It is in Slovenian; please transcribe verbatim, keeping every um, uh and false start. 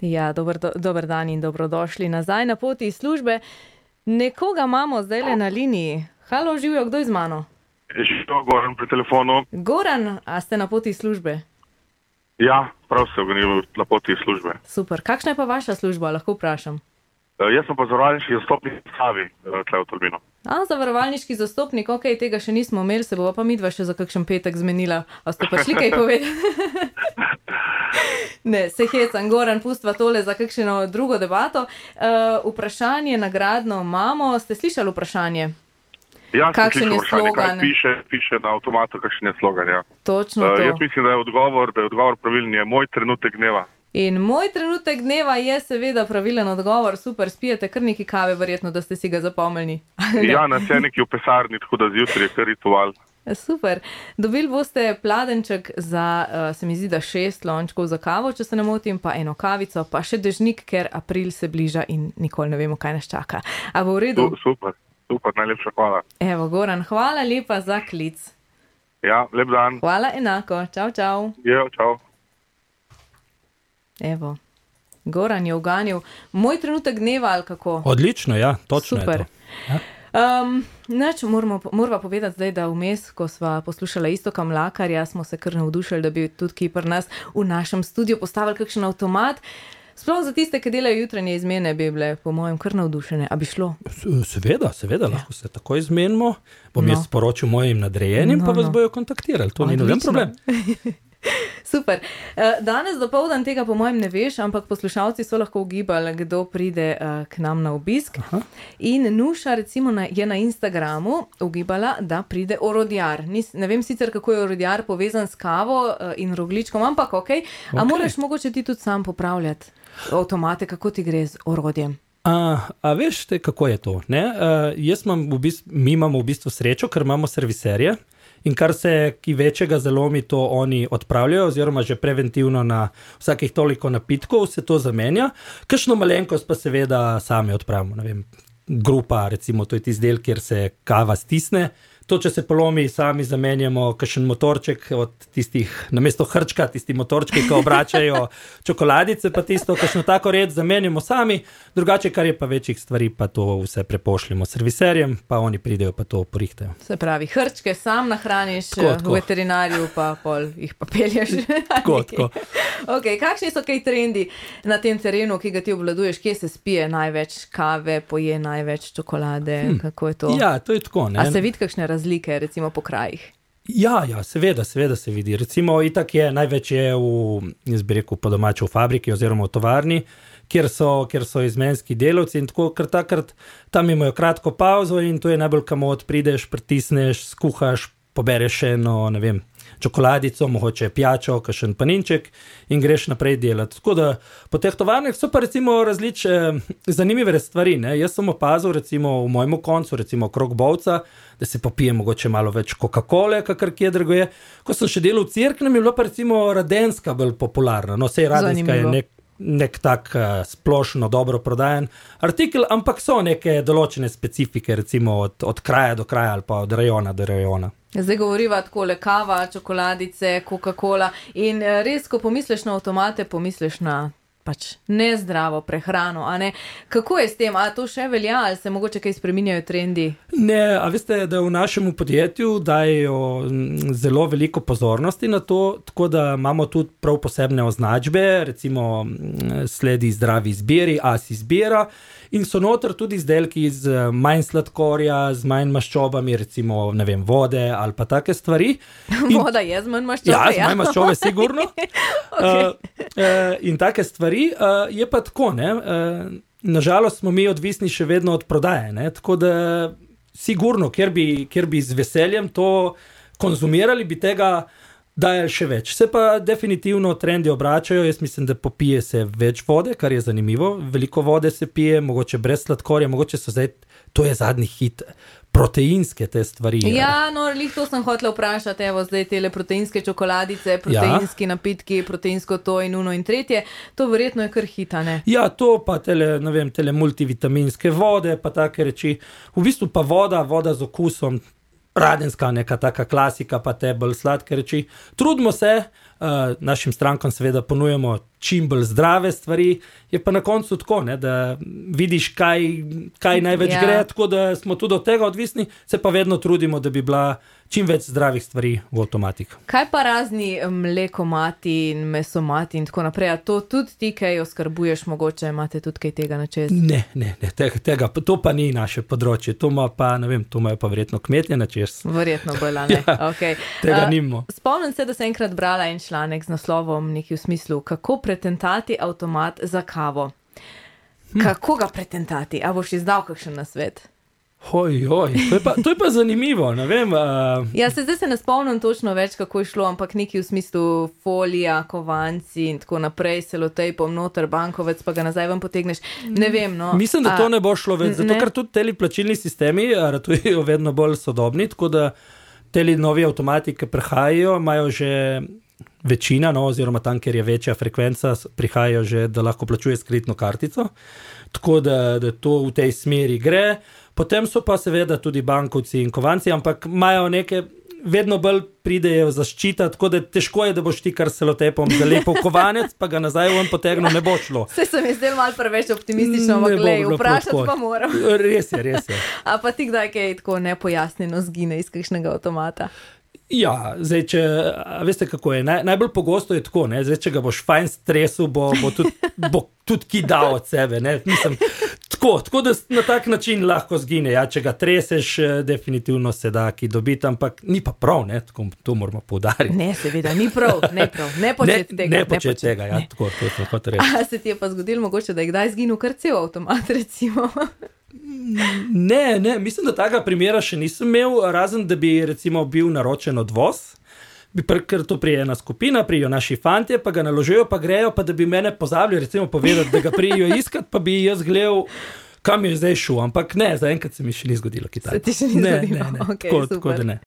Ja, dober, do, dober dan in dobrodošli nazaj na poti iz službe. Nekoga imamo zdaj na liniji. Halo, živijo, kdo je z mano? Živijo, Goran pri telefonu. Goran, a ste na poti iz službe? Ja, prav se ognijo na poti iz službe. Super. Kakšna je pa vaša služba, lahko vprašam? Uh, jaz sem pa zavarovalniški zastopnik v Savi, tle v Tolminu. A, zavarovalniški zastopnik, ok, tega še nismo imeli, se bova pa midva še za kakšen petek zmenila. A ste pa šli kaj povedati? Ne, se hecam, Goran, pustva tole za kakšno drugo debato. Uh, vprašanje nagradno imamo. Ste slišali vprašanje? Ja, kakšen je vprašanje, slogan? kaj piše, piše na avtomatu, kakšen je slogan, ja. Točno uh, to. Jaz mislim, da je odgovor, da je odgovor pravilen, je moj trenutek dneva. In moj trenutek dneva je seveda pravilen odgovor. Super, spijete kar neki kave, verjetno, da ste si ga zapomnili. Ja, nas je neki v pesarni, tako da zjutraj je kar ritual. Super. Dobili boste pladenček za, uh, se mi zdi, da šest lončkov za kavo, če se ne motim, pa eno kavico, pa še dežnik, ker april se bliža in nikoli ne vemo, kaj nas čaka. A bo v redu? Super, super, najlepša hvala. Evo, Goran, hvala lepa za klic. Ja, lep dan. Hvala enako. Čau, čau. Jo, čau. Evo, Goran je uganil moj trenutek dneva, ali kako? Odlično, ja, točno Super. je to. Ja. Um, nač, moramo, moramo povedati zdaj, da vmes, ko sva poslušala Iztoka Mlakarja, smo se kar navdušili, da bi tudi ki pri nas v našem studiu postavili kakšen avtomat. Sploh za tiste, ki delajo jutranje izmene, bi bile po mojem kar navdušene. A bi šlo? Seveda, seveda, lahko se tako izmenimo. Bom no. jaz sporočil mojim nadrejenim, No, pa vas no. bojo kontaktirali. To ni noben problem. Super. Danes dopoldan tega po mojem ne veš, ampak poslušalci so lahko ugibali, kdo pride k nam na obisk. Aha. In Nuša recimo na, je na Instagramu ugibala, da pride orodjar. Nis, ne vem sicer, kako je orodjar povezan s kavo in rogljičkom, ampak ok. A Ok. moraš mogoče ti tudi sam popravljati avtomate, kako ti gre z orodjem? A, a veš te, kako je to? Ne? Uh, jaz imam v bistvu, mi imamo v bistvu srečo, ker imamo serviserje. In kar se ki večjega zalomi, to oni odpravljajo, oziroma že preventivno na vsakih toliko napitkov se to zamenja. Kakšno malenkost pa seveda sami odpravimo. Ne vem, grupa, recimo, to je tisti del, kjer se kava stisne. To, če se polomi, sami zamenjamo kakšen motorček od tistih, namesto hrčka, tisti motorčki, ki obračajo čokoladice, pa tisto, kakšno tako red zamenjamo sami. Drugače, kar je pa večjih stvari, pa to vse prepošljamo serviserjem, pa oni pridejo, pa to porihtajo. Se pravi, hrčke sam nahraniš, Tako, tako. v veterinarju pa pol jih pa pelješ. Tako, tako. Ok, kakšni so kaj trendi na tem terenu, ki ga ti obvladuješ? Kje se spije največ kave, poje največ čokolade? Hmm. Kako je to? Ja, to je tako, ne? A se vidi kakšne razlike, recimo po krajih? Ja, ja, seveda, seveda se vidi. Recimo, itak je, največ je v, jaz bi rekel, po domače v fabriki oziroma v tovarni, kjer so, kjer so izmenski delavci in tako, ker takrat tam imajo kratko pauzo in to je najbolj kamot, prideš, pritisneš, skuhaš, pobereš eno, ne vem, čokoladico, mogoče pijačo, kakšen paninček in greš naprej delati. Tako da po teh tovarnah so pa recimo različne zanimive stvari. Ne? Jaz sem opazil recimo v mojemu koncu, recimo krog Bovca, da se popije mogoče malo več Coca-Cole, kakor kje drugo je. Ko sem še delal v Cerknem, je bila pa recimo Radenska bolj popularna. No, sej Radenska je nek, nek tak uh, splošno dobro prodajen artikel, ampak so neke določene specifike, recimo od, od kraja do kraja ali pa od rajona do rajona. Zdaj govoriva takole kava, čokoladice, Coca-Cola in res, ko pomisliš na avtomate, pomisliš na pač nezdravo prehrano, a ne? Kako je s tem? A to še velja ali se mogoče kaj spreminjajo trendi? Ne, a veste, da v našem podjetju dajo zelo veliko pozornosti na to, tako da imamo tudi prav posebne označbe, recimo sledi zdravi izbiri, as izbira in so noter tudi izdelki z manj sladkorja, z manj maščobami, recimo, ne vem, vode ali pa take stvari. In, Voda je z manj maščobe, ja. Ja, z manj maščobe, sigurno. Okay. uh, uh, in take stvari, uh, je pa tako, ne, uh, nažalost smo mi odvisni še vedno od prodaje, ne, tako da sigurno, kjer bi, kjer bi z veseljem to konzumirali, bi tega dajali še več. Se pa definitivno trendi obračajo, jaz mislim, da popije se več vode, kar je zanimivo, veliko vode se pije, mogoče brez sladkorja, mogoče so zdaj, to je zadnji hit, proteinske te stvari. Ja, no, lih to sem hotela vprašati, evo zdaj tele proteinske čokoladice, proteinski ja. napitki, proteinsko to in uno in tretje, to verjetno je kar hita, ne? Ja, to pa tele, ne vem, tele multivitaminske vode, pa take reči, v bistvu pa voda, voda z okusom, Radenska, neka taka klasika, pa te bolj sladke reči. Trudimo se, uh, našim strankam seveda ponujemo čim bolj zdrave stvari, je pa na koncu tako, ne, da vidiš, kaj, kaj največ Ja. gre, tako da smo tudi od tega odvisni, se pa vedno trudimo, da bi bila čim več zdravih stvari v avtomatih. Kaj pa razni mlekomati in mesomati in tako naprej? A to tudi ti, kaj oskrbuješ, mogoče imate tudi kaj tega na čez? Ne, ne, ne tega, tega, to pa ni naše področje, to ima pa, ne vem, to imajo pa verjetno kmetje na čez. Verjetno bolj, a ne? Ja, Okay. tega A, nimamo. Spomnim se, da sem enkrat brala en članek z naslovom nekaj v smislu, kako pretentati avtomat za kavo. Hm. Kako ga pretentati? A boš izdal kakšen nasvet? Hoj, hoj, to je pa, to je pa zanimivo, ne vem. Uh, Ja, se zdaj se ne spomnim točno več, kako je šlo, ampak nekaj v smislu folija, kovanci in tako naprej, selotejpom noter, bankovec, pa ga nazaj ven potegneš. Ne vem, no. Mislim, da to ne bo šlo več, zato ne. ker tudi teli plačilni sistemi a, ratujejo vedno bolj sodobni, tako da teli novi avtomati, ki prihajajo, imajo že večina, no, oziroma tam, kjer je večja frekvenca, s- prihajajo že, da lahko plačuje s kreditno kartico, tako da, da to v tej smeri gre. Potem so pa seveda tudi bankovci in kovanci, ampak imajo neke, vedno bolj pridejo zaščita, tako da težko je, da boš ti kar selotepom zalepil kovanec, pa ga nazaj ven potegnil, ne bo šlo. Vse se mi zdelo malo preveč optimistično, Ne ampak bo glej, bilo vprašati prav tako. pa moram. Res je, res je. A pa ti kdaj kaj tako nepojasnjeno zgine iz kakšnega avtomata? Ja, zdaj, če, a veste, kako je, Naj, najbolj pogosto je tako, ne, zdaj, če ga boš fajn stresu, bo, bo tudi, bo tudi ki dal od sebe, ne, mislim, tako, tako da s- na tak način lahko zgine, ja, če ga treseš, eh, definitivno se da ki dobiti, ampak ni pa prav, ne, tako, to moramo poudariti. Ne, seveda, ni prav, ne prav, ne početi ne, tega. ne početi tega, ja, ne. tako, to sem hotel reči. A se ti je pa zgodilo mogoče, da je kdaj zginil kar cel avtomat, recimo? Ne, ne, mislim, da tega primera še nisem imel, razen da bi recimo bil naročen odvoz, bi pr, ker to prije ena skupina, prijo naši fantje, pa ga naložijo, pa grejo, pa da bi mene pozabili recimo povedati, da ga prijo iskat, pa bi jaz gledal, kam je zdaj šel, ampak ne, zaenkrat se mi še ni zgodilo kaj Se ti takega. še ni ne, zgodilo? Ne, ne, Okej, tako, super. tako da ne.